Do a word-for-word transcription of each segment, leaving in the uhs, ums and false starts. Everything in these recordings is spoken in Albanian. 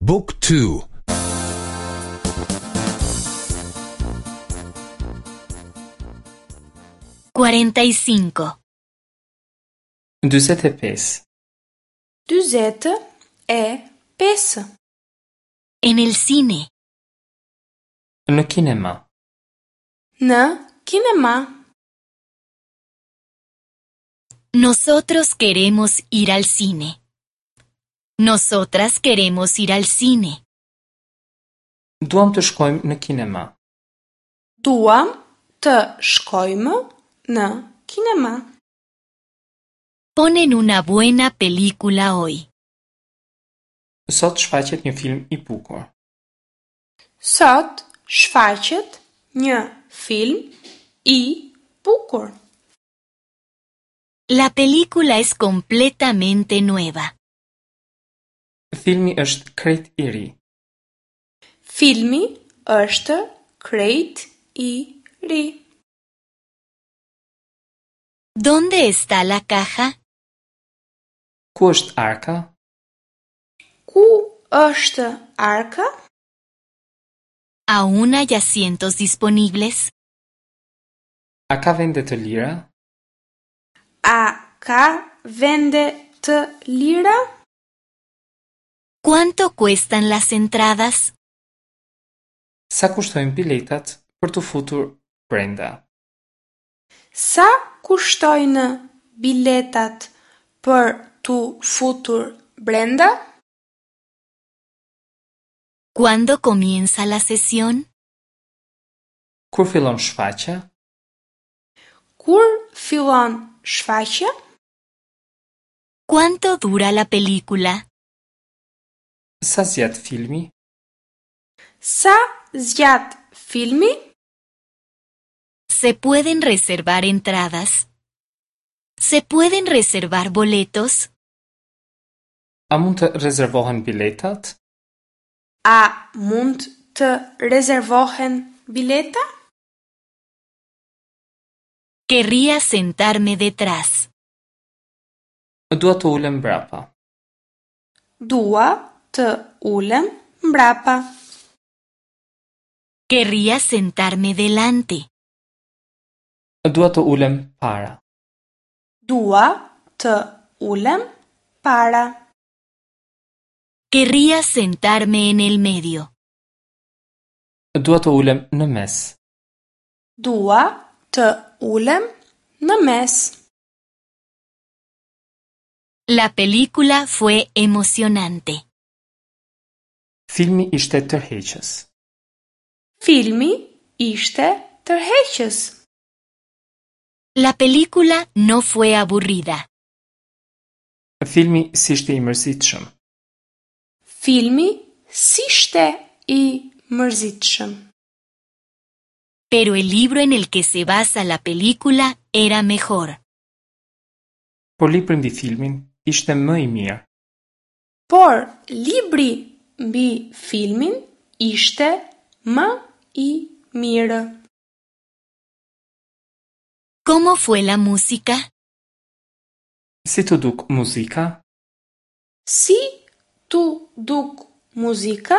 Book two. Cuarenta y cinco. Dyzet e pesë. Dyzet e pesë. En el cine. Në kinema. Në kinema. Nosotros queremos ir al cine. Nosotras queremos ir al cine. Duam të shkojmë në kinema. Duam të shkojmë në kinema. Ponen una buena película hoy. Sot shfaqet një film i bukur. Sot shfaqet një film i bukur. La película es completamente nueva. Filmi është krejt i ri. Filmi është krejt i ri. ¿Dónde está la caja? Ku është arka? Ku është arka? ¿Aún hay asientos disponibles? A ka vende të lira? A ka vende të lira? ¿Cuánto cuestan las entradas? Sa kushtojnë biletat për t'u futur brenda? Sa kushtojnë biletat për t'u futur brenda? ¿Cuándo comienza la sesión? Kur fillon shfaqja? Kur fillon shfaqja? ¿Cuánto dura la película? Sa zgjat filmi? Sa zgjat filmi? ¿Se pueden reservar entradas? ¿Se pueden reservar boletos? A mund të rezervohen biletat? A mund të rezervohen bileta? Querría sentarme detrás. Dua të ulem mbrapa. Dua të ulem mbrapa. Querría sentarme delante. Dua të ulem para. Dua të ulem para. Querría sentarme en el medio. Dua të ulem në mes. Dua të ulem në mes. La película fue emocionante. Filmi ishte tërheqës. Filmi ishte tërheqës. La película no fue aburrida. Filmi s'ishte i mërzitshëm. Filmi s'ishte i mërzitshëm. Pero el libro en el que se basa la película era mejor. Por libri mbi filmin ishte më i mirë. Por libri mbi filmin ishte më i mirë. ¿Cómo fue la música? Si t'u duk muzika? Si t'u duk muzika?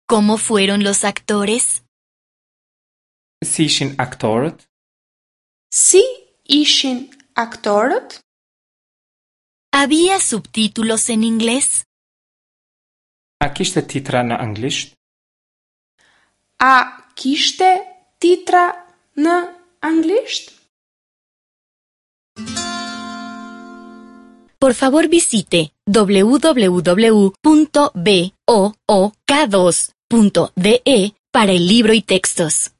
¿Cómo fueron los actores? Si ishin aktorët? Si ishin aktorët? ¿Había subtítulos en inglés? A kishte titra në anglisht? A kishte titra në anglisht? Por favor visite w w w punto b o o k dos punto d e para el libro y textos.